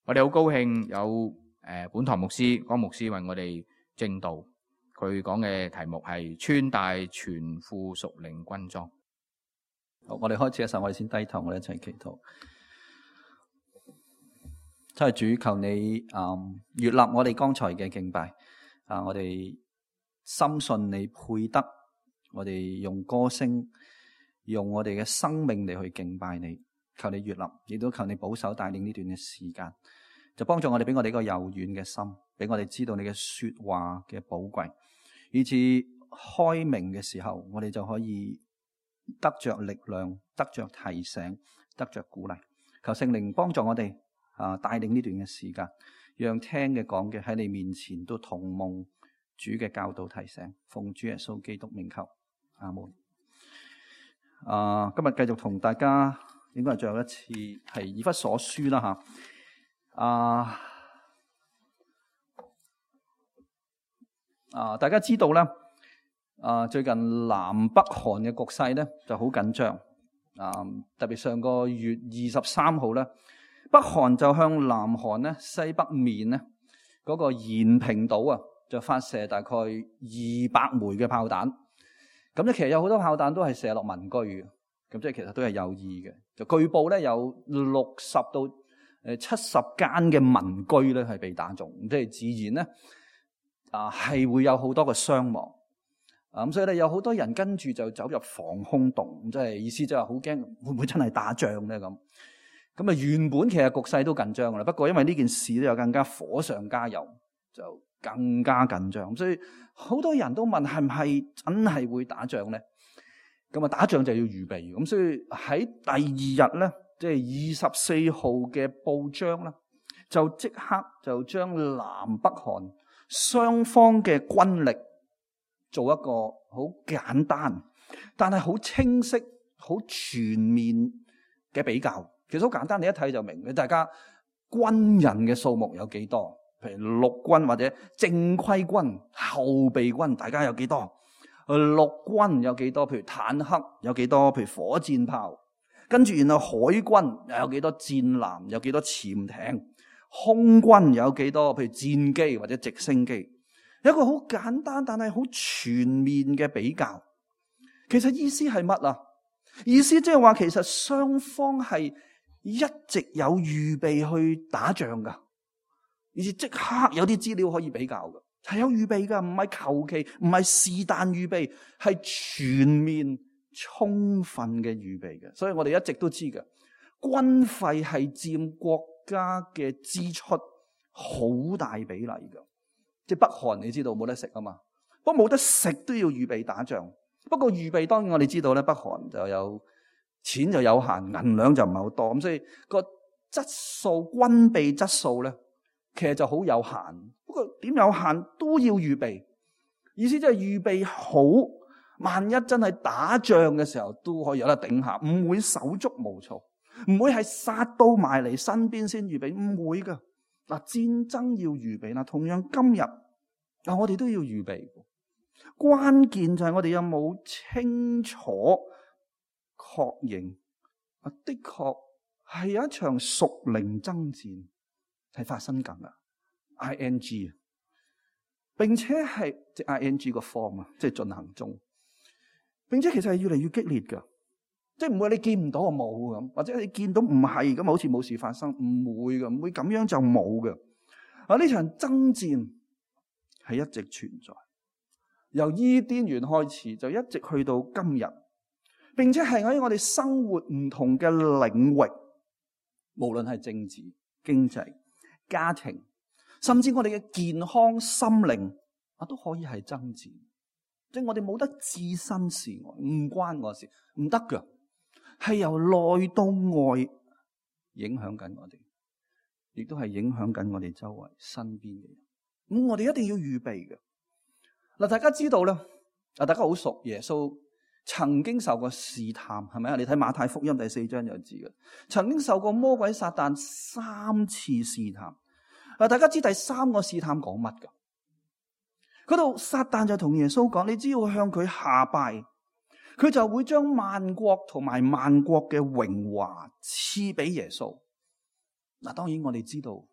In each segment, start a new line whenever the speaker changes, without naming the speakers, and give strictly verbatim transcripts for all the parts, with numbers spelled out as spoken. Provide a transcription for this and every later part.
我哋好高興有誒本堂牧師江牧師為我哋證道，佢講嘅題目係穿戴全副屬靈軍裝。
好，我哋開始嘅時候，我哋先低頭，我哋一齊祈禱。真係主，求你嗯悅納我哋剛才嘅敬拜啊！我哋深信你配得，我哋用歌聲，用我哋嘅生命嚟去敬拜你。求你悅納，亦都求你保守帶領呢段嘅時間，就幫助我哋，俾我哋一個柔軟嘅心，俾我哋知道你嘅說話嘅寶貴，以至開明嘅時候，我哋就可以得着力量，得着提醒，得着鼓勵。求聖靈幫助我哋啊，帶領呢段嘅時間，讓聽嘅講嘅喺你面前都同蒙主嘅教導提醒。奉主耶穌基督名求，阿門。啊，今日繼續同大家。應該係最後一次係以弗所書啦吓，啊啊！大家知道咧，啊最近南北韓嘅局勢咧就好緊張啊！特別上個月二十三號咧，北韓就向南韓咧西北面咧嗰個延平島啊，就發射大概二百枚嘅炮彈。咁咧其實有好多炮彈都係射落民居嘅。咁即係其實都係有意嘅，就據報咧有六十到誒七十間嘅民居咧係被打中，即係自然咧啊係會有好多嘅傷亡啊，咁所以咧有好多人跟住就走入防空洞，即係意思就係好驚會唔會真係打仗咧咁。咁啊原本其實局勢都緊張噶啦，不過因為呢件事咧又更加火上加油，就更加緊張，所以好多人都問係唔係真係會打仗咧？咁啊，打仗就要預備，咁所以喺第二日咧，即係二十四號嘅報章啦，就即刻就將南北韓雙方嘅軍力做一個好簡單，但係好清晰、好全面嘅比較。其實好簡單，你一睇就明嘅。大家軍人嘅數目有幾多？譬如陸軍或者正規軍、後備軍，大家有幾多？陸軍有幾多？譬如坦克有幾多？譬如火箭炮，跟住然後海軍又有幾多？戰艦有幾多？潛艇，空軍有幾多？譬如戰機或者直升機，有一個好簡單但係好全面嘅比較。其實意思係乜啊？意思即係話，其實雙方係一直有預備去打仗噶，而且即刻有啲資料可以比較噶。係有預備噶，唔係求其，唔係是但預備，係全面充分嘅預備嘅。所以我哋一直都知嘅，軍費係佔國家嘅支出好大比例噶。即係北韓，你知道冇得食啊嘛，不過冇得食都要預備打仗。不過預備當然我哋知道咧，北韓就有錢就有限，銀兩就唔係好多，咁所以個質素軍備質素咧，其實就好有限。不過點有限都要預備，意思即係預備好，萬一真係打仗嘅時候都可以有得頂下，唔會手足無措，唔會係殺到埋嚟身邊先預備，唔會噶。嗱，戰爭要預備啦，同樣今日啊，我哋都要預備。關鍵就係我哋有冇清楚確認啊？的確係有一場屬靈爭戰係發生緊啊！I N G 並且係即 I N G 個 form 啊，即係進行中，並且其實係越嚟越激烈噶，即係唔會你見唔到就冇咁，或者你見到唔係咁，好似冇事發生，唔會噶，唔會咁樣就冇噶。啊，呢場爭戰係一直存在，由伊甸園開始就一直去到今日，並且係喺我哋生活唔同嘅領域，無論係政治、經濟、家庭，甚至我哋嘅健康、心靈啊，都可以係爭戰。即係我哋冇得置身事外，唔關我事，唔得噶。係由內到外影響緊我哋，亦都係影響緊我哋周圍身邊嘅人。咁我哋一定要預備嘅。嗱，大家知道啦，啊，大家好熟耶穌曾經受過試探，係咪啊？你睇馬太福音第四章就知嘅，曾經受過魔鬼撒旦三次試探。嗱，大家知第三個試探講乜噶？嗰度撒旦就同耶穌講：你只要向佢下拜，佢就會將萬國同埋萬國嘅榮華賜俾耶穌。嗱，當然我哋知道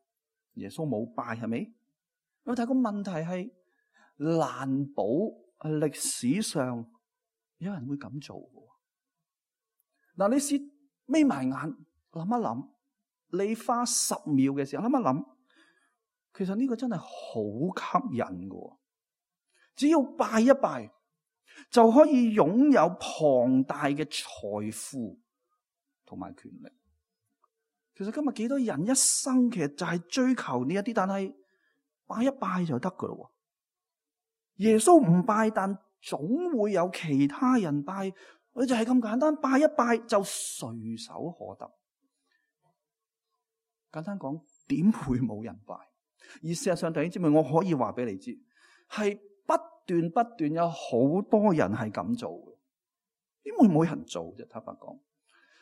耶穌冇拜，係咪？但係個問題係難保歷史上有人會咁做嘅。嗱，你試眯埋眼諗一諗，你花十秒嘅時候諗一諗，其實呢個真係好吸引嘅。只要拜一拜，就可以擁有龐大嘅財富同埋權力。其實今日幾多人一生其實就係追求呢一啲，但係拜一拜就得噶咯。耶穌唔拜，但總會有其他人拜，佢就係咁簡單，拜一拜就隨手可得。簡單講，點會冇人拜？而事實上，弟兄姊妹，我可以話俾你知，係不斷不斷有好多人係咁做嘅。點會冇人做啫？坦白講，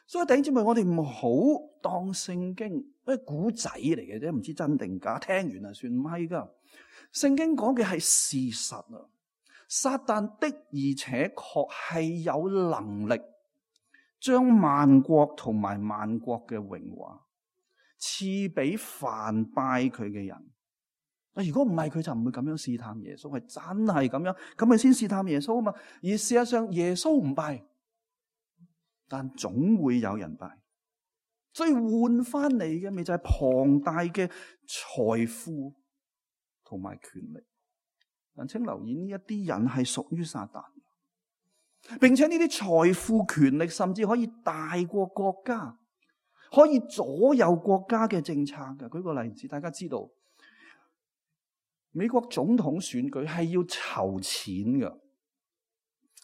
所以弟兄姊妹，我哋唔好當聖經係古仔嚟嘅啫，唔知真定假，聽完啊算，唔係噶。聖經講嘅係事實啊！撒旦的而且確係有能力將萬國同埋萬國嘅榮華賜俾凡拜佢嘅人。如果唔係，佢就唔會咁樣試探耶穌，係真係咁樣，咁咪先試探耶穌啊嘛。而事實上，耶穌唔拜，但總會有人拜，所以換翻嚟嘅咪就係龐大嘅財富同埋權力。但請留意，呢一啲人係屬於撒旦，並且呢啲財富權力甚至可以大過國家，可以左右國家嘅政策嘅。舉個例子，大家知道美國總統選舉係要籌錢嘅，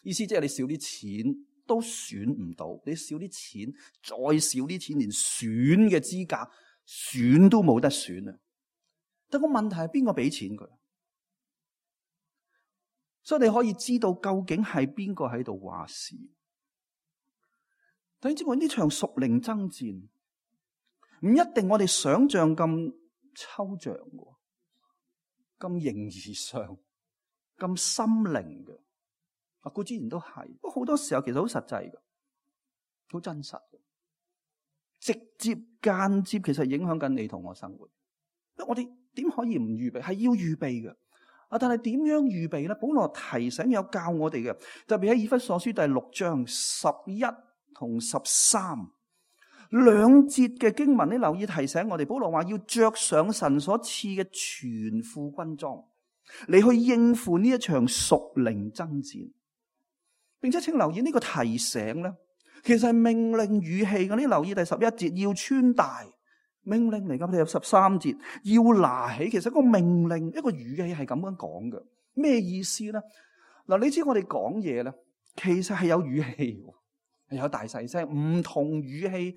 意思即係你少啲錢都選唔到，你少啲錢再少啲錢，連選嘅資格選都冇得選啊！但個問題係邊個俾錢佢？所以你可以知道究竟係邊個喺度話事。弟兄姊妹，呢場屬靈爭戰唔一定我哋想象咁抽象嘅，咁形而上，咁心靈嘅。啊，固然都係，不過好多時候其實好實際嘅，好真實嘅，直接間接其實影響緊你同我生活。我哋點可以唔預備？係要預備嘅。啊！但係點樣預備咧？保羅提醒有教我哋嘅，特別喺以弗所書第六章十一同十三兩節嘅經文，你留意提醒我哋。保羅話要着上神所賜嘅全副軍裝，嚟去應付呢一場屬靈爭戰。並且請留意呢個提醒咧，其實係命令語氣嘅。你留意第十一節要穿戴。命令嚟噶，你有十三節要拿起，其實個命令一個語氣係咁樣講嘅，咩意思咧？嗱，你知我哋講嘢咧，其實係有語氣，係有大細聲，唔同語氣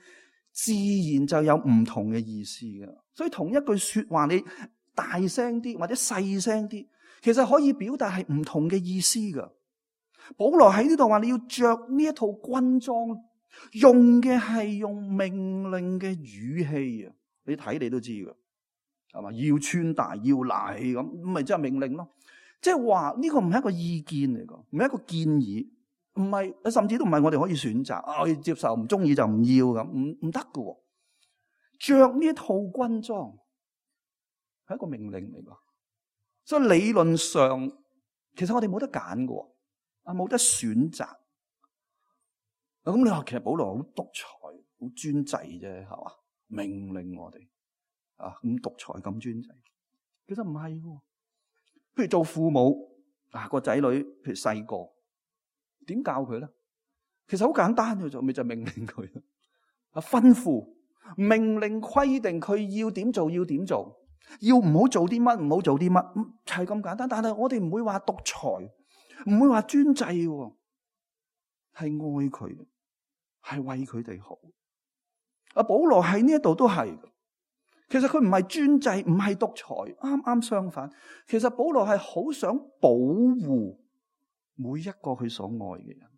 自然就有唔同嘅意思嘅。所以同一句說話，你大聲啲或者細聲啲，其實可以表達係唔同嘅意思噶。保羅喺呢度話你要着呢一套軍裝。用嘅係用命令嘅語氣啊！你睇你都知㗎，係嘛？要穿戴，要拿起咁，咁咪即係命令咯。即係話呢個唔係一個意見嚟㗎，唔係一個建議，唔係，甚至都唔係我哋可以選擇啊，我要接受，唔中意就唔要咁，唔唔得㗎。着呢一套軍裝係一個命令嚟㗎，所以理論上其實我哋冇得揀㗎，啊冇得選擇。咁你話其實保羅好獨裁、好專制啫，係嘛？命令我哋啊，咁獨裁、咁專制，其實唔係喎。譬如做父母啊，個仔女譬如細個，點教佢咧？其實好簡單嘅，就咪就命令佢啊，吩咐、命令、規定佢要點做，要點做，要唔好做啲乜，唔好做啲乜，係咁簡單。但係我哋唔會話獨裁，唔會話專制喎，係愛佢。係為佢哋好。阿保羅喺呢一度都係，其實佢唔係專制，唔係獨裁，啱啱相反。其實保羅係好想保護每一個佢所愛嘅人。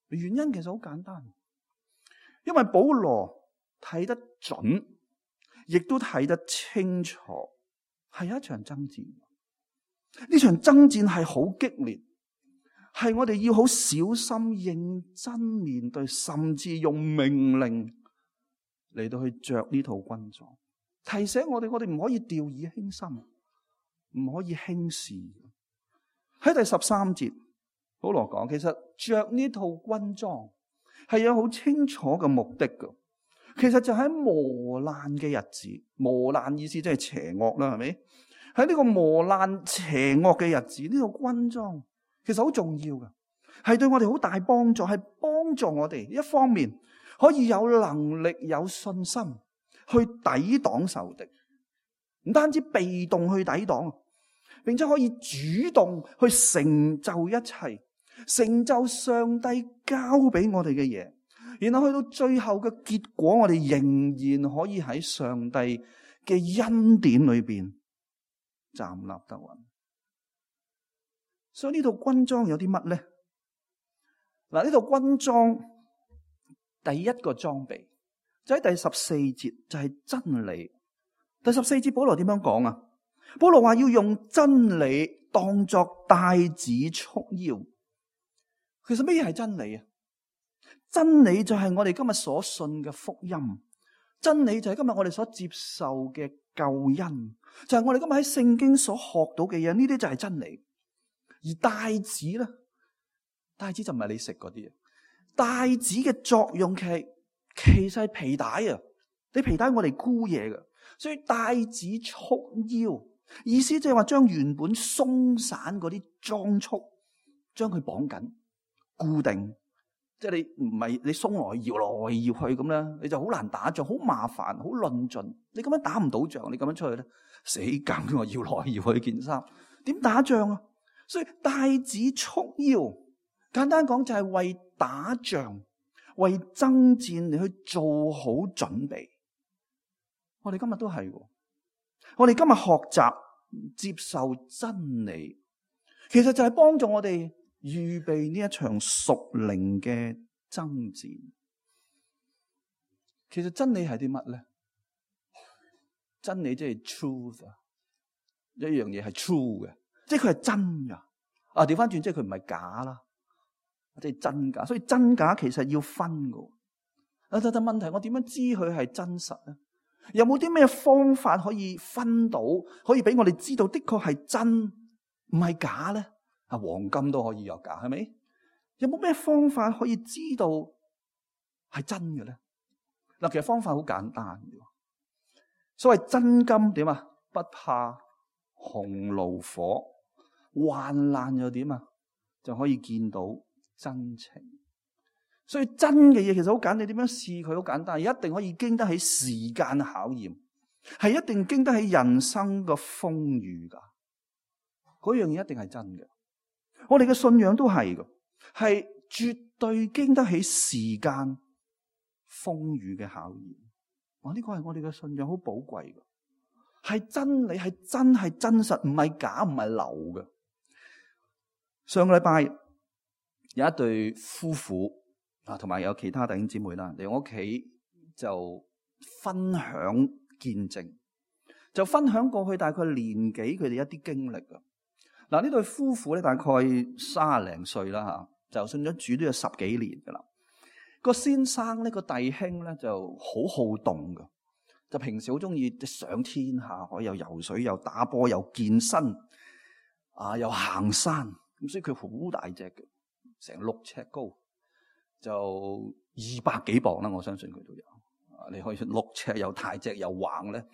原因其實好簡單，因為保羅睇得準，亦都睇得清楚，係有一場爭戰。呢場爭戰係好激烈。係我哋要好小心、認真面對，甚至用命令嚟到去着呢套軍裝。提醒我哋，我哋唔可以掉以輕心，唔可以輕視。喺第十三節，保羅講，其實着呢套軍裝係有好清楚嘅目的㗎。其實就喺磨難嘅日子，磨難意思即係邪惡啦，係咪？喺呢個磨難邪惡嘅日子，呢套軍裝其實好重要㗎，係對我哋好大幫助，係幫助我哋一方面可以有能力、有信心去抵擋仇敵，唔單止被動去抵擋，並且可以主動去成就一切，成就上帝交俾我哋嘅嘢，然後去到最後嘅結果，我哋仍然可以喺上帝嘅恩典裏邊站立得穩。所以呢套軍裝有啲乜咧？嗱，呢套軍裝第一個裝備就喺第十四節，就係真理。第十四節保羅點樣講啊？保羅話要用真理當作帶子束腰。其實咩嘢係真理啊？真理就係我哋今日所信嘅福音，真理就係今日我哋所接受嘅救恩，就係我哋今日喺聖經所學到嘅嘢，呢啲就係真理。而帶子咧，帶子就唔係你食嗰啲啊，帶子嘅作用其實其實係皮帶啊，你皮帶我哋箍嘢嘅，所以帶子束腰，意思即係話將原本鬆散嗰啲裝束，將佢綁緊固定。即係你唔係你鬆來搖來搖去咁咧，你就好難打仗，好麻煩，好論盡。你咁樣打唔到仗，你咁樣出去咧，死梗我搖來搖去件衫，點打仗啊？所以帶子束腰，簡單講就係為打仗、為爭戰嚟去做好準備。我哋今日都係，我哋今日學習接受真理，其實就係幫助我哋預備呢一場屬靈嘅爭戰。其實真理係啲乜咧？真理即係 truth 啊，一樣嘢係 true 嘅，即係佢係真噶。啊，調翻轉，即係佢唔係假啦，即係真假。所以真假其實要分噶。啊，但係問題，我點樣知佢係真實咧？有冇啲咩方法可以分到，可以俾我哋知道的確係真，唔係假咧？啊，黃金都可以有假，係咪？有冇咩方法可以知道係真嘅咧？嗱，其實方法好簡單嘅。所謂真金點啊？不怕紅爐火，患難又點啊？就可以見到真情。所以真嘅嘢其實好簡單，你點樣試佢好簡單，一定可以經得起時間考驗，係一定經得起人生嘅風雨噶。嗰樣嘢一定係真嘅。我哋嘅信仰都係嘅，係絕對經得起時間風雨嘅考驗。哇！呢個係我哋嘅信仰好寶貴嘅，係真理，係真係真實，唔係假，唔係流嘅。上個禮拜有一對夫婦啊，同埋有其他弟兄姊妹啦嚟我屋企就分享見證，就分享過去大概年幾佢哋一啲經歷啊。嗱，呢對夫婦咧大概三十零歲啦吓，就信咗主都有十幾年噶啦。個先生呢個弟兄咧就好好動噶，就平時好中意上天下海，又游水，又打波，又健身，啊，又行山。咁所以佢好大隻嘅，成六尺高，就二百幾磅啦。我相信佢都有。啊，你可以六尺又大隻又橫咧，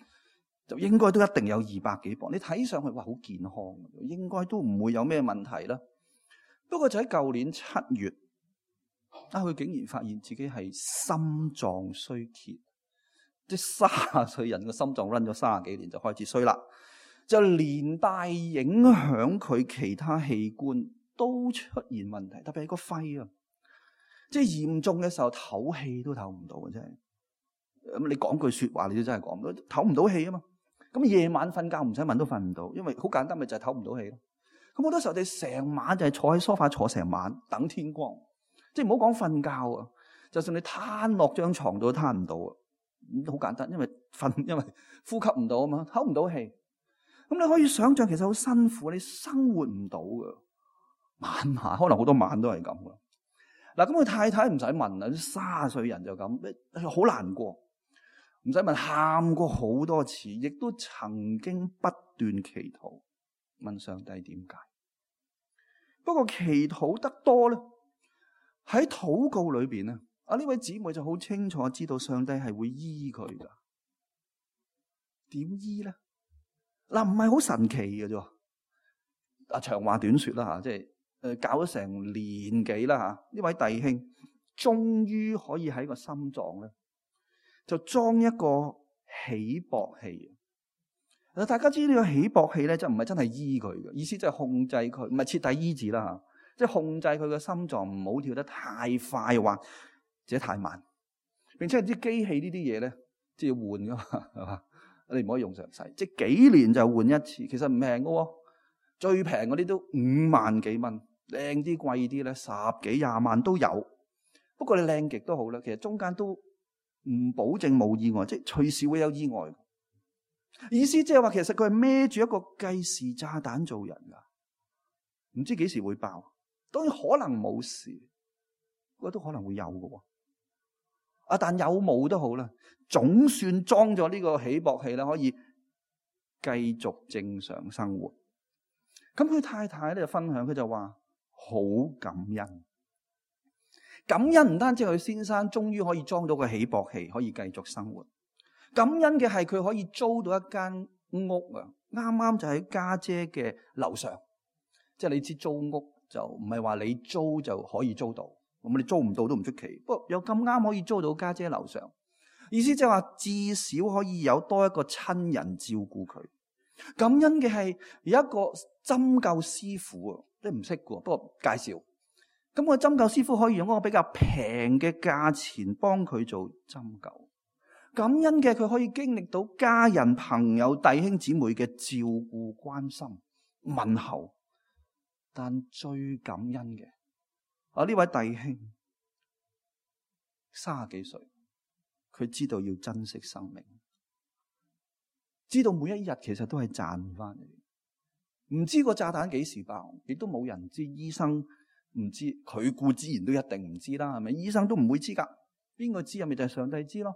就應該都一定有二百幾磅。你睇上去哇，好健康，應該都唔會有咩問題啦。不過就喺舊年七月，啊，佢竟然發現自己係心臟衰竭，即係卅歲人嘅心臟 run 咗卅幾年就開始衰啦，就連帶影響佢其他器官都出現問題，特別係個肺啊，即係嚴重嘅時候唞氣都唞唔到嘅，真係。咁你講句說話，你都真係講唔到，唞唔到氣啊嘛。咁夜晚瞓覺唔使問都瞓唔到，因為好簡單，咪就係唞唔到氣咯。咁好多時候，你成晚就係坐喺梳化坐成晚等天光，即係唔好講瞓覺啊，就算你攤落張床度都攤唔到啊。好簡單，因為瞓，因為呼吸唔到啊嘛，唞唔到氣。咁你可以想象，其實好辛苦，你生活唔到噶，晚晚可能好多晚都係咁噶。嗱，咁佢太太唔使問啦，卅歲人就咁，好難過。唔使問，喊過好多次，亦都曾經不斷祈禱，問上帝點解。不過祈禱得多咧，喺禱告裏邊咧，啊呢位姊妹就好清楚知道上帝係會醫佢噶。點醫咧？嗱，唔係好神奇嘅啫。啊，長話短說啦吓，即係誒搞咗成年幾啦吓，呢位弟兄終於可以喺個心臟咧，就裝一個起搏器。嗱，大家知呢個起搏器咧，就唔係真係醫佢嘅，意思即係控制佢，唔係徹底醫治啦吓，即係控制佢嘅心臟唔好跳得太快或者太慢，並且啲機器呢啲嘢咧，即係要換噶嘛，係嘛？你唔可以用常使，即係幾年就換一次，其實唔平嘅喎，最平嗰啲都五萬幾蚊，靚啲貴啲咧十幾廿萬都有。不過你靚極都好啦，其實中間都唔保證冇意外，即係隨時會有意外。意思即係話，其實佢係孭住一個計時炸彈做人噶，唔知幾時會爆。當然可能冇事，不過都可能會有嘅。啊，但有冇都好啦，總算裝咗呢個起搏器啦，可以繼續正常生活。咁佢太太咧就分享，佢就話好感恩。感恩唔單止佢先生終於可以裝到個起搏器，可以繼續生活。感恩嘅係佢可以租到一間屋啊，啱啱就喺家姐嘅樓上。即係你知租屋就唔係話你租就可以租到，咁你租唔到都唔出奇。不過有咁啱可以租到家姐樓上，意思即係話至少可以有多一個親人照顧佢。感恩嘅係有一個針灸師傅啊，你唔識嘅，不過介紹。咁個針灸師傅可以用一個比較平嘅價錢幫佢做針灸。感恩嘅佢可以經歷到家人、朋友、弟兄姊妹嘅照顧、關心、問候。但最感恩嘅啊，呢位弟兄三十幾歲，佢知道要珍惜生命，知道每一日其實都係賺翻嚟。唔知個炸彈幾時爆，亦都冇人知。醫生唔知，佢固之然都一定唔知啦，係咪？醫生都唔會知噶，邊個知啊？咪就係上帝知咯。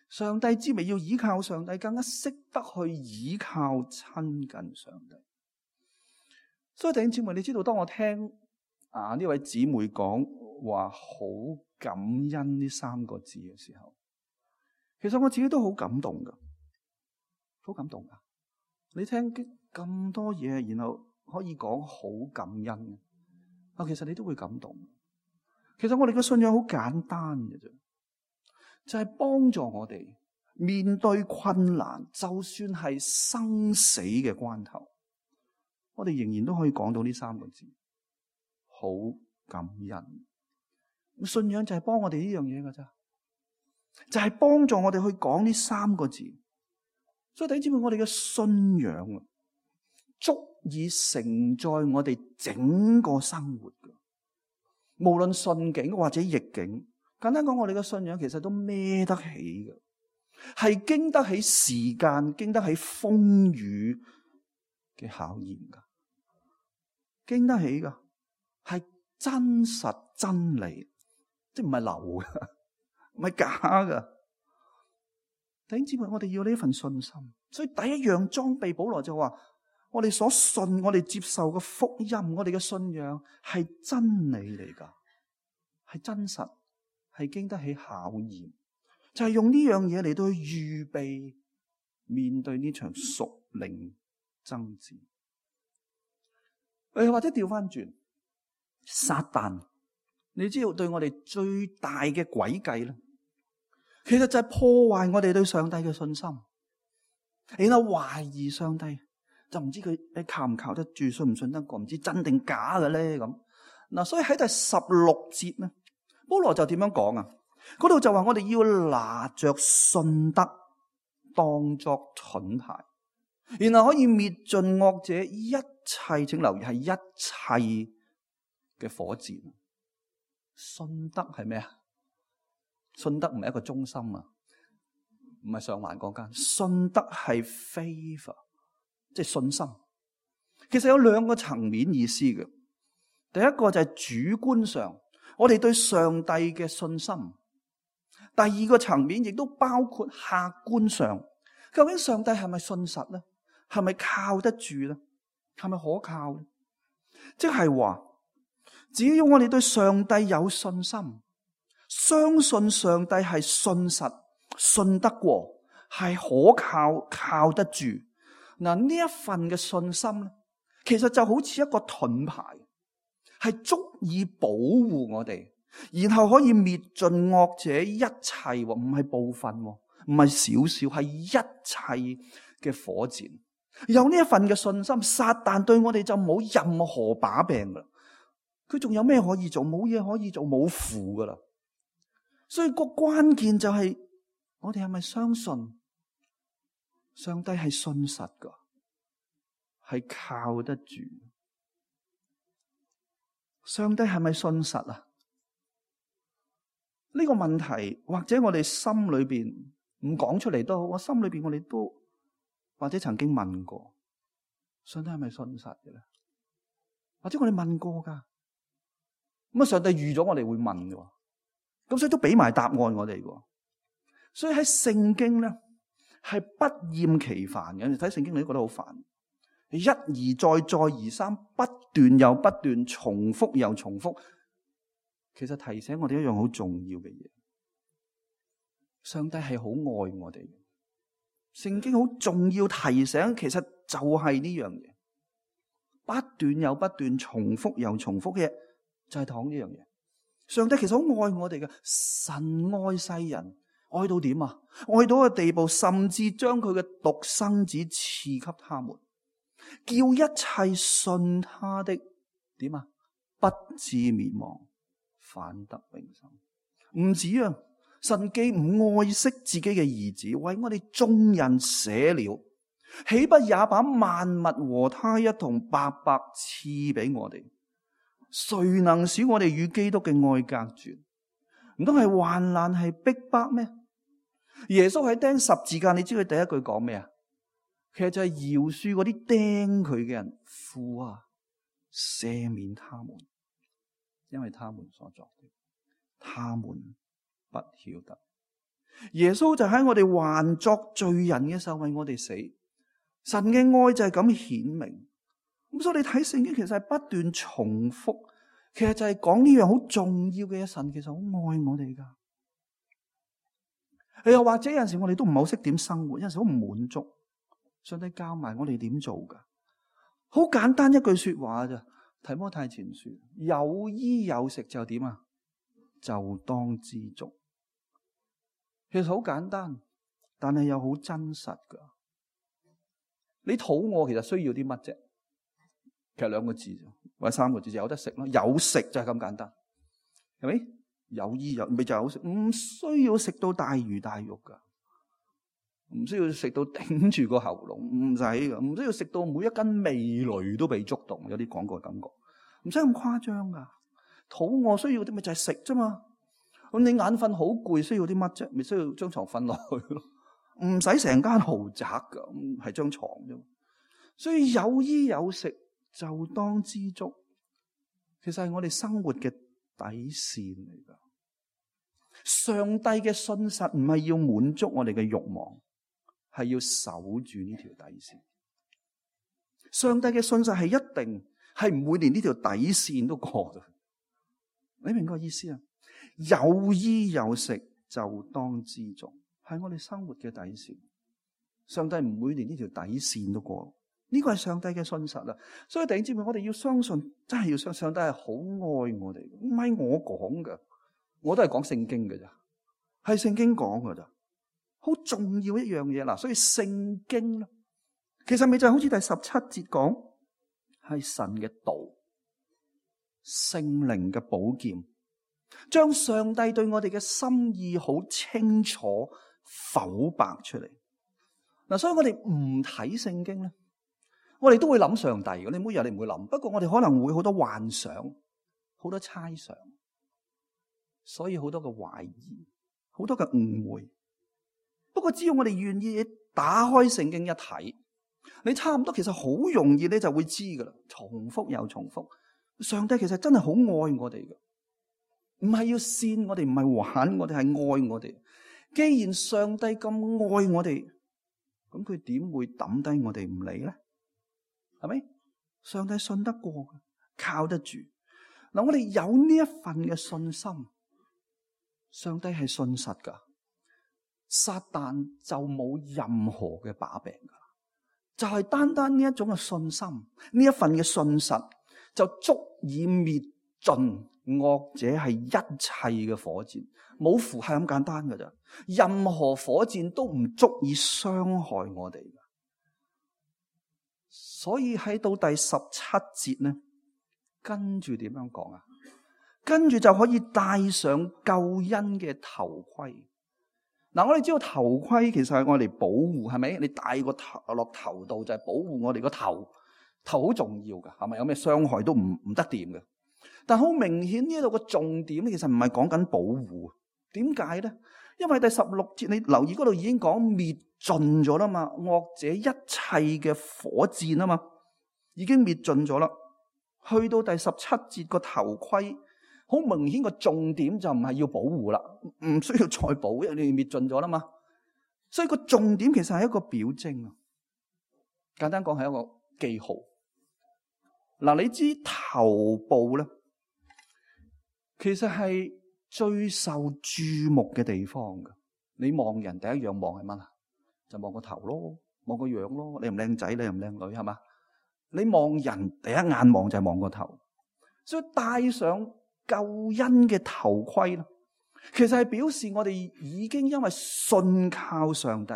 上帝知咪要依靠上帝，更加識得去依靠親近上帝。所以弟兄姊妹，你知道當我聽啊呢位姊妹講話好感恩呢三個字嘅時候，其實我自己都好感動噶，好感動噶。你聽咁多嘢，然後可以講好感恩啊，其實你都會感動。其實我哋嘅信仰好簡單嘅啫。就係幫助我哋面對困難，就算係生死嘅關頭，我哋仍然都可以講到呢三個字，好感恩。信仰就係幫我哋呢樣嘢㗎咋，就係幫助我哋去講呢三個字。所以弟兄姊妹，我哋嘅信仰啊，足以承載我哋整個生活㗎，無論順境或者逆境。簡單講，我哋嘅信仰其實都孭得起嘅，係經得起時間、經得起風雨嘅考驗噶，經得起噶，係真實真理，即係唔係流嘅，唔係假嘅。弟兄姊妹，我哋要呢份信心，所以第一樣裝備，保羅就話：我哋所信、我哋接受嘅福音，我哋嘅信仰係真理嚟噶，係真實。係經得起考驗，就係、是、用呢樣嘢嚟到去預備面對呢場屬靈爭戰。誒，或者調翻轉，撒旦，你知道對我哋最大嘅詭計咧，其實就係破壞我哋對上帝嘅信心，然後懷疑上帝，就唔知佢你靠唔靠得住，信唔信得過，唔知真定假嘅咧咁。嗱，所以喺第十六節咧。保羅就點樣講啊？嗰度就話我哋要拿着信德當作盾牌，然後可以滅盡惡者一切，請留意係一切嘅火箭。信德係咩啊？信德唔係一個中心啊，唔係上環嗰間。信德係 favor， 即係信心。其實有兩個層面意思嘅。第一個就係主觀上。我哋對上帝嘅信心第二個層面亦都包括客觀上，究竟上帝係咪信實咧？係咪靠得住咧？係咪可靠咧？即係話，只要我哋對上帝有信心，相信上帝係信實、信得過，係可靠、靠得住。嗱，呢一份嘅信心咧，其實就好似一個盾牌，係足以保護我哋，然後可以滅盡惡者一切，唔係部分，唔係少少，係一切嘅火箭。有呢一份嘅信心，撒旦對我哋就冇任何把柄噶啦。佢仲有咩可以做？冇嘢可以做，冇符噶啦。所以個關鍵就係我哋係咪相信上帝係信實噶，係靠得住？上帝係咪信實啊？呢個問題或者我哋心裏邊唔講出嚟都好，我心裏邊我哋都或者曾經問過，上帝係咪信實嘅咧？或者我哋問過噶，咁啊上帝預咗我哋會問嘅，咁所以都俾埋答案我哋嘅。所以喺聖經咧係不厭其煩嘅，你睇聖經你都覺得好煩，一而再再而三，不斷又不斷，重複又重複。其實提醒我哋一樣好重要嘅嘢，上帝係好愛我哋嘅。聖經好重要提醒，其實就係呢樣嘢，不斷又不斷，重複又重複嘅嘢，就係講呢樣嘢。上帝其實好愛我哋嘅，神愛世人，愛到點啊？愛到個地步，甚至將佢嘅獨生子賜給他們，叫一切信他的點啊？不至滅亡，反得永生。唔止啊！神既唔愛惜自己嘅兒子，為我哋眾人捨了，豈不也把萬物和他一同白白賜俾我哋？誰能使我哋與基督嘅愛隔絕？唔通係患難係逼迫咩？耶穌喺釘十字架，你知佢第一句講咩啊？其實就係饒恕嗰啲釘佢嘅人，父啊，赦免他們，因為他們所作的，他們不曉得。耶穌就喺我哋還作罪人嘅時候為我哋死，神嘅愛就係咁顯明。咁所以你睇聖經其實係不斷重複，其實就係講呢樣好重要嘅嘢。神其實好愛我哋噶。又或者有陣時我哋都唔係好識點生活，有陣時好唔滿足，上帝教埋我哋點做噶。好簡單一句說話咋，提摩太前書，有衣有食就點啊？就當知足。其實好簡單，但係又好真實噶。你肚餓其實需要啲乜啫？其實兩個字或者三個字就有得食咯，有食就係咁簡單，係咪？有衣有咪就有食，唔需要食到大魚大肉噶，唔需要食到頂住個喉嚨，唔使噶，唔需要食到每一根味蕾都被觸動，有啲廣告嘅感覺，唔使咁誇張噶。肚餓需要啲咪就係食啫嘛。咁你眼瞓好攰，需要啲乜啫？咪需要張床瞓落去咯，唔使成間豪宅噶，係張床啫。所以有衣有食就當知足，其實係我哋生活嘅底線嚟噶。上帝嘅信實唔係要滿足我哋嘅慾望，係要守住呢條底線。上帝嘅信實係一定係唔會連呢條底線都過嘅。你明個意思啊？有衣有食就當知足，係我哋生活嘅底線。上帝唔會連呢條底線都過，呢個係上帝嘅信實啦。所以弟兄姊妹，我哋要相信，真係要相信上帝係好愛我哋，唔係我講嘅，我都係講聖經嘅咋，係聖經講嘅咋，好重要一樣嘢啦。所以聖經咧，其實咪就係好似第十七節講，係神嘅道，聖靈嘅寶劍，將上帝對我哋嘅心意好清楚剖白出嚟。嗱，所以我哋唔睇聖經咧，我哋都會諗上帝嘅。你每日你唔會諗，不過我哋可能會好多幻想，好多猜想，所以好多嘅懷疑，好多嘅誤會。不過只要我哋願意打開聖經一睇，你差唔多其實好容易你就會知噶啦。重複又重複，上帝其實真係好愛我哋嘅。唔係要扇我哋，唔係玩我哋，係愛我哋。既然上帝咁愛我哋，咁佢點會抌低我哋唔理咧？係咪？上帝信得過，靠得住。嗱，我哋有呢一份嘅信心，上帝係信實噶，撒旦就冇任何嘅把柄噶，就係單單呢一種嘅信心，呢一份嘅信實，就足以滅盡惡者係一切嘅火箭。冇符係咁簡單噶咋，任何火箭都唔足以傷害我哋。所以喺到第十七節咧，跟住點樣講啊？跟住就可以戴上救恩嘅頭盔。嗱，我哋知道頭盔其實係我哋保護，係咪？你戴個頭落頭度就係保護我哋個頭，頭好重要噶，係咪？有咩傷害都唔唔得掂嘅。但好明顯呢度個重點其實唔係講緊保護，點解咧？因為第十六節你留意嗰度已經講滅盡咗啦嘛，惡者一切嘅火箭啊嘛，已經滅盡咗啦。去到第十七節個頭盔，好明顯個重點就唔係要保護啦，唔需要再保，因為你滅盡咗啦嘛。所以個重點其實係一個表徵啊，簡單講係一個記號。嗱，你知頭部咧，其實係最受注目嘅地方㗎。你望人第一樣望係乜啊？就望個頭咯，望個樣咯，靚唔靚仔，靚唔靚女，係嘛？你望人第一眼望就係望個頭，所以戴上救恩嘅頭盔啦，其實係表示我哋已經因為信靠上帝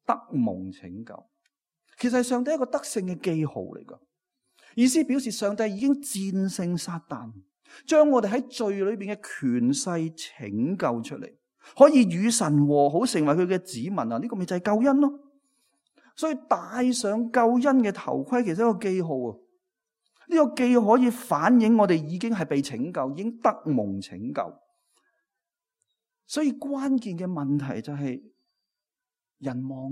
得蒙拯救。其實係上帝一個得勝嘅記號嚟噶，意思表示上帝已經戰勝撒旦，將我哋喺罪裏邊嘅權勢拯救出嚟，可以與神和好，成為佢嘅子民啊！呢個咪就係救恩咯。所以戴上救恩嘅頭盔，其實係一個記號啊！呢個記號可以反映我哋已經係被拯救，已經得蒙拯救。所以關鍵嘅問題就係人望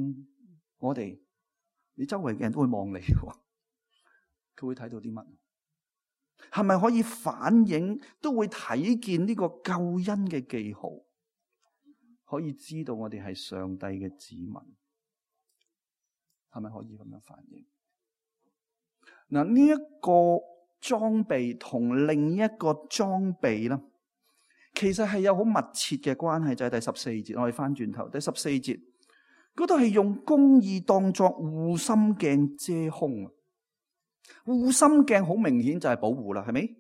我哋，你周圍嘅人都會望你，佢會睇到啲乜？係咪可以反映，都會睇見呢個救恩嘅記號，可以知道我哋係上帝嘅子民？係咪可以咁樣反映？嗱，呢一個裝備同另一個裝備咧，其實係有好密切嘅關係。就係第十四節，我哋翻轉頭，第十四節嗰度係用公義當作護心鏡遮胸啊！護心鏡好明顯就係保護啦，係咪？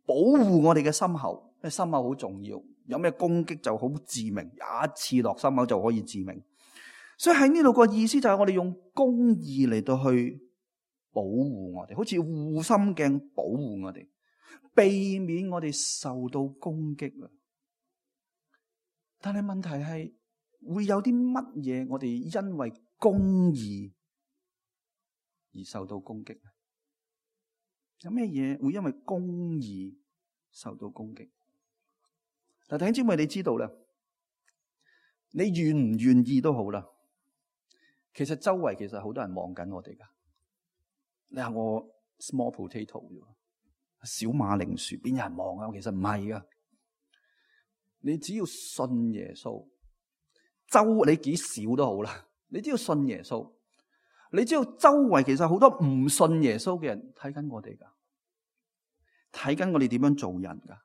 保護我哋嘅心口，因為心口好重要，有咩攻擊就好致命，一刺落心口就可以致命。所以喺呢度個意思就係我哋用公義嚟到去保護我哋，好似護心鏡保護我哋，避免我哋受到攻擊啊！但係問題係會有啲乜嘢我哋因為公義而受到攻擊？有咩嘢會因為公義受到攻擊？嗱，弟兄姊妹，你知道啦，你願唔願意都好啦。其實周圍其實好多人望緊我哋噶。你話我 small potato 啫，小馬鈴薯，邊有人望啊？其實唔係噶。你只要信耶穌，周你幾少都好啦。你只要信耶穌，你知道周圍其實好多唔信耶穌嘅人睇緊我哋噶，睇緊我哋點樣做人噶。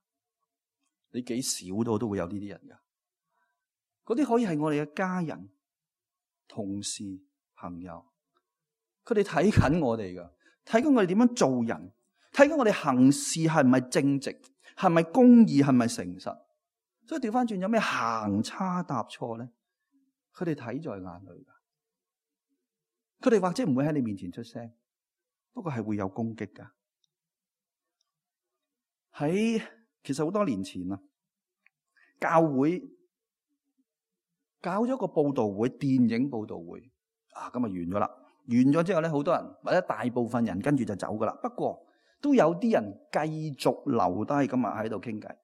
你幾少都都會有呢啲人噶。嗰啲可以係我哋嘅家人、同事、朋友，佢哋睇緊我哋噶，睇緊我哋點樣做人，睇緊我哋行事係咪正直，係咪公義，係咪誠實。所以調翻轉，有咩行差踏錯咧？佢哋睇在眼裏噶。佢哋或者唔會喺你面前出聲，不過係會有攻擊噶。喺其實好多年前啊，教會搞咗個報道會，電影報道會啊，咁啊完咗啦。完咗之後咧，好多人或者大部分人跟住就走噶啦。不過都有啲人繼續留低，咁啊喺度傾偈。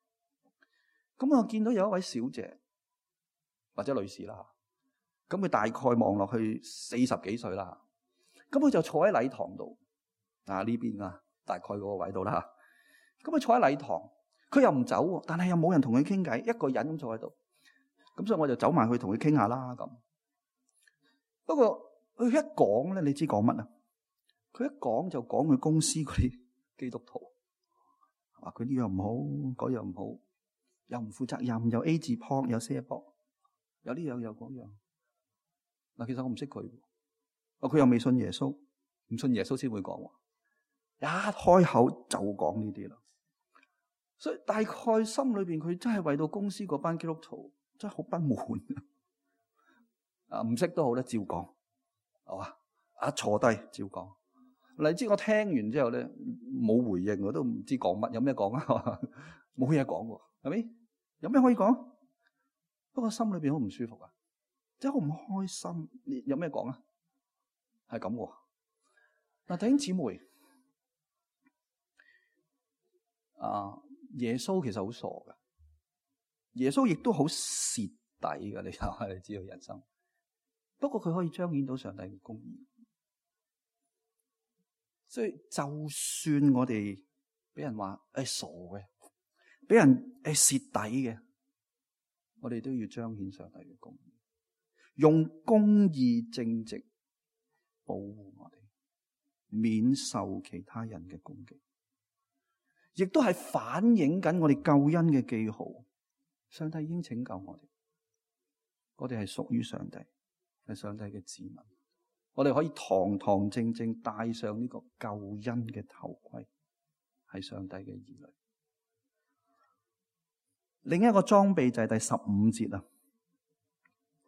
咁我見到有一位小姐或者女士啦，咁佢大概望落去四十幾歲啦。咁佢就坐喺禮堂度啊，呢邊啊，大概嗰個位度啦。咁佢坐喺禮堂，佢又唔走，但係又冇人同佢傾偈，一個人咁坐喺度。咁所以我就走埋去同佢傾下啦咁。不過佢一講咧，你知講乜啊？佢一講就講佢公司嗰啲基督徒，話佢呢樣唔好，嗰樣唔好，又唔負責任，又 A 字膊，又卸膊，有呢樣有嗰樣。嗱，其實我唔識佢，哦，佢又未信耶穌，唔信耶穌先會講，一開口就講呢啲啦。所以大概心裏邊佢真係為到公司嗰班基督徒真係好不滿啊！唔識都好咧，照講係嘛？啊，坐低照講。你知我聽完之後咧冇回應，我都唔知講乜，有咩講啊？冇嘢講喎，係咪？有咩可以講？不過心裏邊好唔舒服啊，真係好唔開心。你有咩講啊？係咁喎。嗱，弟兄姊妹啊，耶穌其實好傻噶，耶穌亦都好蝕底噶。你睇下，你知道人生。不過佢可以彰顯到上帝嘅公義。所以就算我哋俾人話誒傻嘅，俾人誒蝕底嘅，我哋都要彰顯上帝嘅公義，用公義正直保護我哋，免受其他人嘅攻擊，亦都係反映緊我哋救恩嘅記號。上帝已經拯救我哋，我哋係屬於上帝，係上帝嘅子民。我哋可以堂堂正正戴上呢個救恩嘅頭盔，係上帝嘅兒女。另一個裝備就係第十五節啦，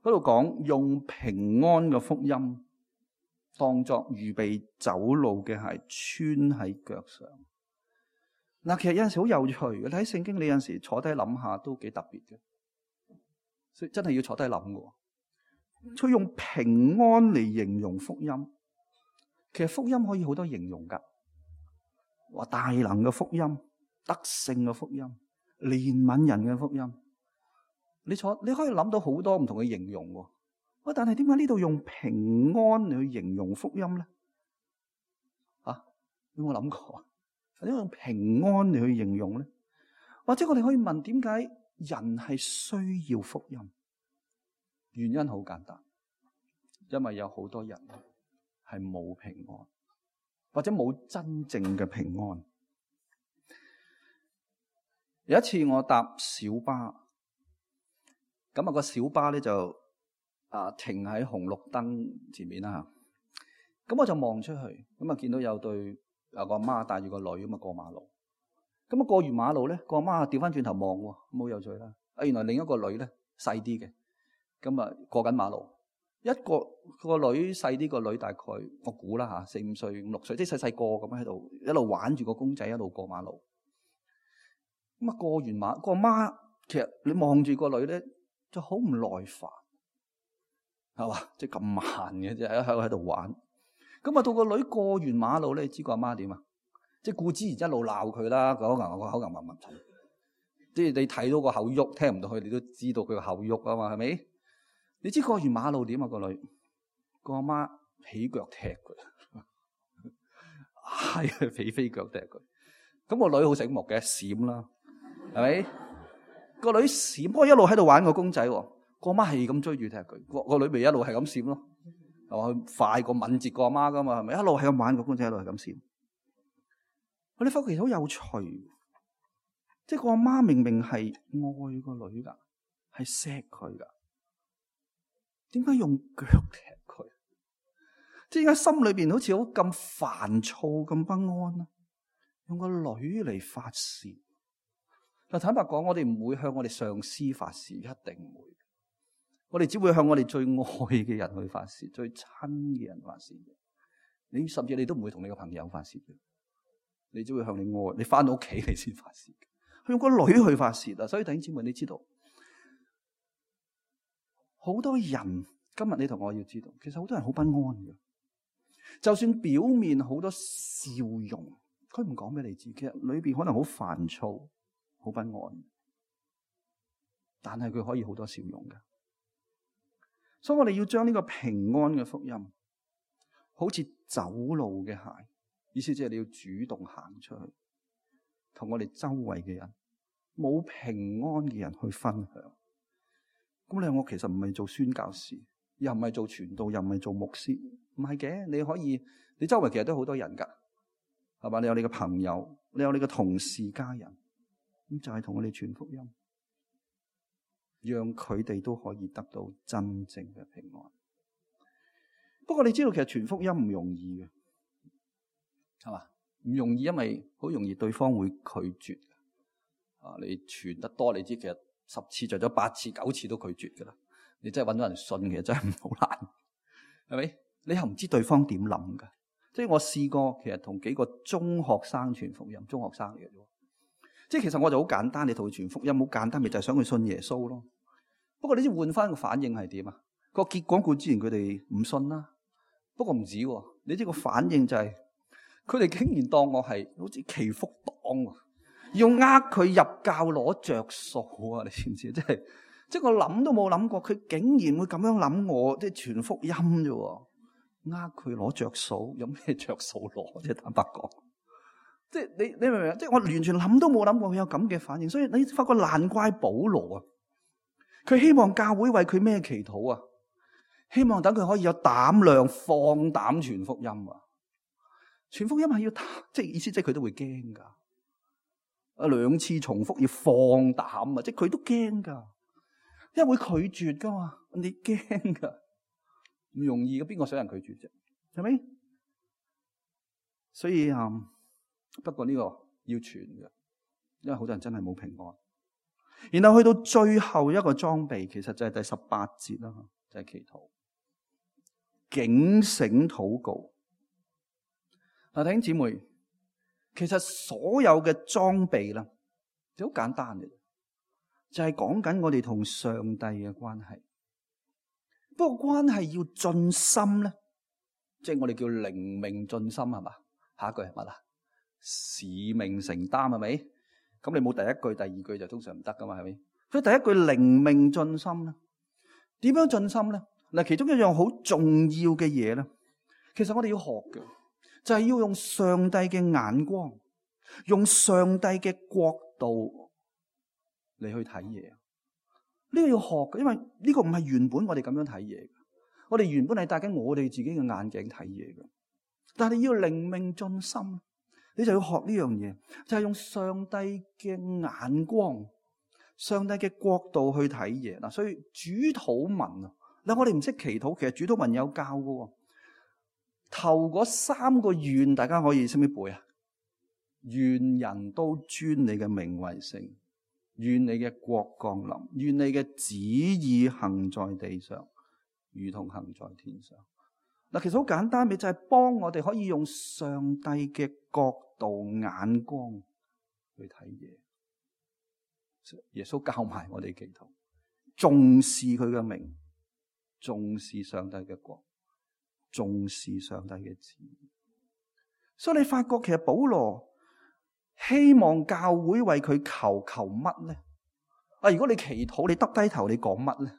嗰度講用平安嘅福音當作預備走路嘅鞋穿喺腳上。嗱，其實有陣時好有趣嘅，你喺聖經你有陣時坐低諗下都幾特別嘅，所以真係要坐低諗嘅。佢用平安嚟形容福音，其實福音可以好多形容噶，話大能嘅福音、得勝嘅福音、憐憫人嘅福音。你坐你可以諗到好多唔同嘅形容喎。喂，但係點解呢度用平安嚟去形容福音咧？啊，有冇諗過？點解用平安嚟去形容咧？或者我哋可以問，點解人係需要福音？原因好簡單，因為有好多人係冇平安，或者冇真正嘅平安。有一次我搭小巴，咁啊個小巴咧就啊停喺紅綠燈前面啦吓，咁我就望出去，咁啊見到有對有個阿媽帶住個女咁啊過馬路，咁啊過完馬路咧，個阿媽調翻轉頭望喎，冇有趣啦，啊原來另一個女咧細啲嘅。咁啊，過緊馬路，一個個女細啲，個女大概我估啦吓，四五歲、五六歲，即係細細個咁喺度一路玩住個公仔，一路過馬路。咁啊，過完馬，個媽其實你望住個女咧，就好唔耐煩，係嘛？即係咁慢嘅啫，喺喺喺度玩。咁啊，到個女過完馬路咧，你知個阿媽點啊？即係顧之然一路鬧佢啦，個口硬個口硬硬硬，即係你睇到個口喐，聽唔到佢，你都知道佢個口喐啊嘛，係咪？你知過完馬路點啊？個女個阿媽起腳踢佢，係啊，起飛腳踢佢。咁個女好醒目嘅，閃啦，係咪？個女閃，不過一路喺度玩個公仔，個阿媽係咁追住踢佢，個個女咪一路係咁閃咯，係嘛？佢快過敏捷個阿媽噶嘛，係咪？一路係咁玩個公仔，一路係咁閃。我哋發覺其實好有趣，即係個阿媽明明係愛個女噶，係錫佢噶。點解用腳踢佢？即係點解心裏邊好似好咁煩躁、咁不安啊？用個女嚟發洩。嗱，坦白講，我哋唔會向我哋上司發洩，一定唔會。我哋只會向我哋最愛嘅人去發洩，最親嘅人發洩。你甚至你都唔會同你個朋友發洩嘅，你只會向你愛，你翻到屋企你先發洩。佢用個女去發洩啊！所以弟兄姊妹，你知道？好多人今日你同我要知道，其實好多人好不安嘅。就算表面好多笑容，佢唔講俾你知，其實裏邊可能好煩躁、好不安。但係佢可以好多笑容嘅。所以我哋要將呢個平安嘅福音，好似走路嘅鞋，意思即係你要主動行出去，同我哋周圍嘅人冇平安嘅人去分享。咁你話我其實唔係做宣教士，又唔係做傳道，又唔係做牧師，唔係嘅。你可以，你周圍其實都好多人噶，係嘛？你有你嘅朋友，你有你嘅同事家人，咁就係同我哋傳福音，讓佢哋都可以得到真正嘅平安。不過你知道其實傳福音唔容易嘅，係嘛？唔容易，因為好容易對方會拒絕。啊，你傳得多，你知其實十次着咗八次九次都拒絕噶啦。你真係揾到人信，其實真係唔好難，係咪？你又唔知對方點諗噶。即係我試過，其實同幾個中學生傳福音，中學生嚟嘅啫。即係其實我就好簡單，你同佢傳福音好簡單，咪就係想佢信耶穌咯。不過你知換翻個反應係點啊？個結果固然佢哋唔信啦。不過唔止喎，你知個反應就係佢哋竟然當我係好似祈福黨喎，要呃佢入教攞着數啊！你知唔知？即係即係我諗都冇諗過，佢竟然會咁樣諗我，即係傳福音啫。呃佢攞着數，有咩着數攞？即係坦白講，即係你你明唔明？即係我完全諗都冇諗過佢有咁嘅反應，所以你發覺難怪保羅啊，佢希望教會為佢咩祈禱啊？希望等佢可以有膽量放膽傳福音啊！傳福音係要即係意思，即係佢都會驚噶。啊，兩次重複要放膽啊！即係佢都驚噶，因為會拒絕噶嘛。你驚噶，唔容易嘅，邊個想人拒絕啫？係咪？所以啊、嗯，不過呢個要傳嘅，因為好多人真係冇平安。然後去到最後一個裝備，其實就係第十八節啦，就係祈禱。警醒禱告。嗱，弟兄姊妹，其實所有嘅裝備啦，就好簡單嘅，就係講緊我哋同上帝嘅關係。不過關係要盡心咧，即係我哋叫靈命盡心，係嘛？下一句係乜啊？使命承擔，係咪？咁你冇第一句、第二句就通常唔得噶嘛，係咪？所以第一句靈命盡心咧，點樣盡心咧？嗱，其中一樣好重要嘅嘢咧，其實我哋要學嘅，就係要用上帝嘅眼光，用上帝嘅國度嚟去睇嘢。呢個要學嘅，因為呢個唔係原本我哋咁樣睇嘢嘅。我哋原本係戴緊我哋自己嘅眼鏡睇嘢嘅，但係你要靈命盡心，你就要學呢樣嘢，就係用上帝嘅眼光、上帝嘅國度去睇嘢。嗱，所以主禱文啊。嗱，我哋唔識祈禱，其實主禱文有教嘅。頭嗰三個願，大家可以識唔識背啊？願人都尊你嘅名為聖，願你嘅國降臨，願你嘅旨意行在地上，如同行在天上。嗱，其實好簡單，咪就係幫我哋可以用上帝嘅角度眼光去睇嘢。耶穌教埋我哋祈禱，重視佢嘅名。重視上帝嘅國，重視上帝嘅旨意。所以你發覺其實保羅希望教會為佢求求乜咧？啊，如果你祈禱，你耷低頭，你講乜咧？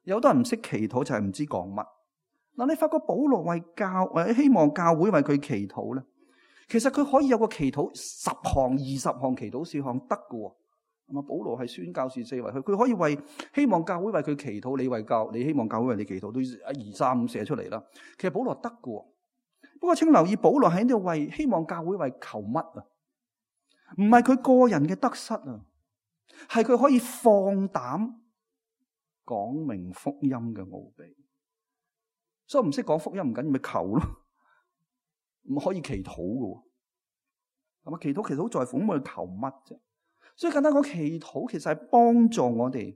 有好多人唔識祈禱，就係唔知講乜。嗱，你發覺保羅為教或者希望教會為佢祈禱咧，其實佢可以有個祈禱十項、二十項祈禱事項得㗎。咁啊，保羅係宣教士四圍去，佢可以為希望教會為佢祈禱，你為教，你希望教會為你祈禱，都一二三五寫出嚟啦。其實保羅得㗎，不過請留意，保羅喺呢度為希望教會為求乜啊？唔係佢個人嘅得失啊，係佢可以放膽講明福音嘅奧秘。所以唔識講福音唔緊要，咪求咯，唔可以祈禱㗎。係嘛？祈禱其實好在乎咁我哋求乜啫？所以簡單講，祈禱其實係幫助我哋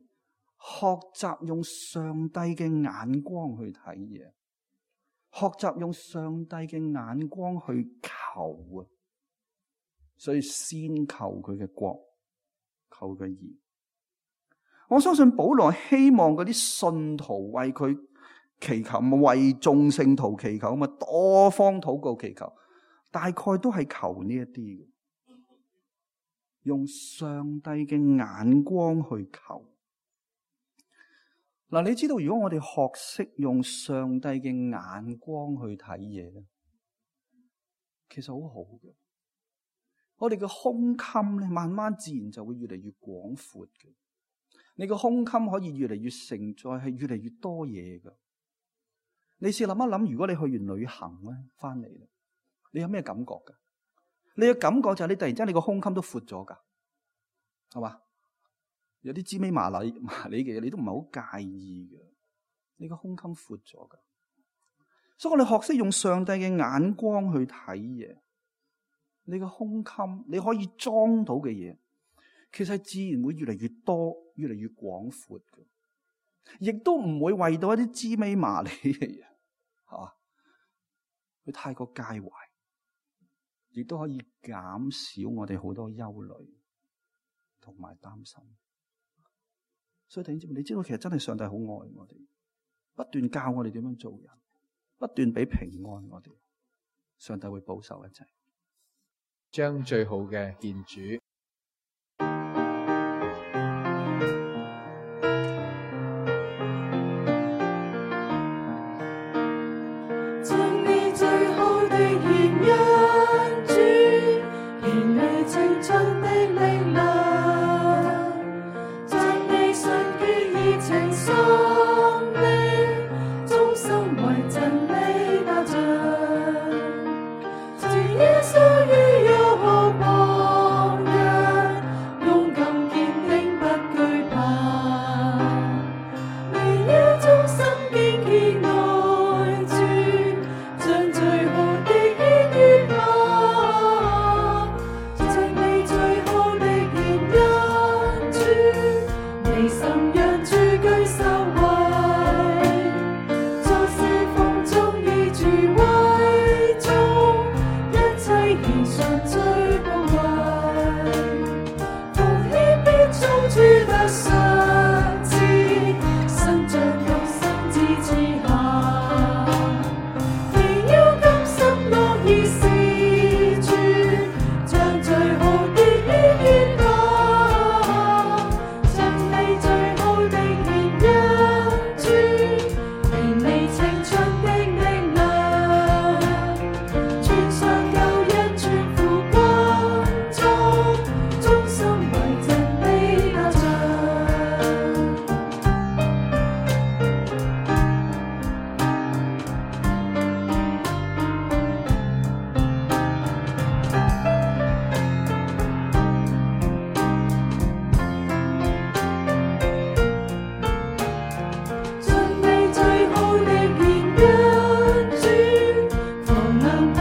學習用上帝嘅眼光去睇嘢，學習用上帝嘅眼光去求啊。所以先求佢嘅國，求佢義。我相信保羅希望嗰啲信徒為佢祈求，為眾聖徒祈求，咁啊多方禱告祈求，大概都係求呢一啲嘅。用上帝嘅眼光去求。嗱，你知道如果我哋學識用上帝嘅眼光去睇嘢咧，其實好好嘅。我哋嘅胸襟咧，慢慢自然就會越嚟越廣闊嘅。你個胸襟可以越嚟越承載，係越嚟越多嘢噶。你試諗一諗，如果你去完旅行咧，翻嚟咧，你有咩感覺噶？你嘅感覺就係你突然之間你個胸襟都闊咗噶，係嘛？有啲芝麻麻利麻利嘅嘢，你都唔係好介意嘅。你個胸襟闊咗噶，所以我哋學識用上帝嘅眼光去睇嘢。你個胸襟，你可以裝到嘅嘢，其實自然會越嚟越多，越嚟越廣闊嘅，亦都唔會為到一啲芝麻麻利嘅嘢，吓，佢太過介懷，亦都可以減少我哋好多憂慮同埋擔心。所以弟兄姊妹，你知道其實真係上帝好愛我哋，不斷教我哋點樣做人，不斷俾平安我哋，上帝會保守一切，
將最好嘅獻主。
將你最好的獻恩主，獻你青春的力量，將你純潔熱情心靈，忠心為真理打仗。主耶穌與有好榜樣，勇敢堅定不懼怕，你要忠心堅決愛主，將最好的獻於他，將你最好的獻恩主，你心讓主居首位，在四風中以主為重，一切獻上最寶貴，奉獻必從主得賞賜，身着肉身之賜下，你要甘心樂意事主，將最好的獻於他，將你最好的獻恩主，獻你青春的力量，穿上救恩全副軍裝，忠心為真理打仗。將你最好的獻恩主，防能配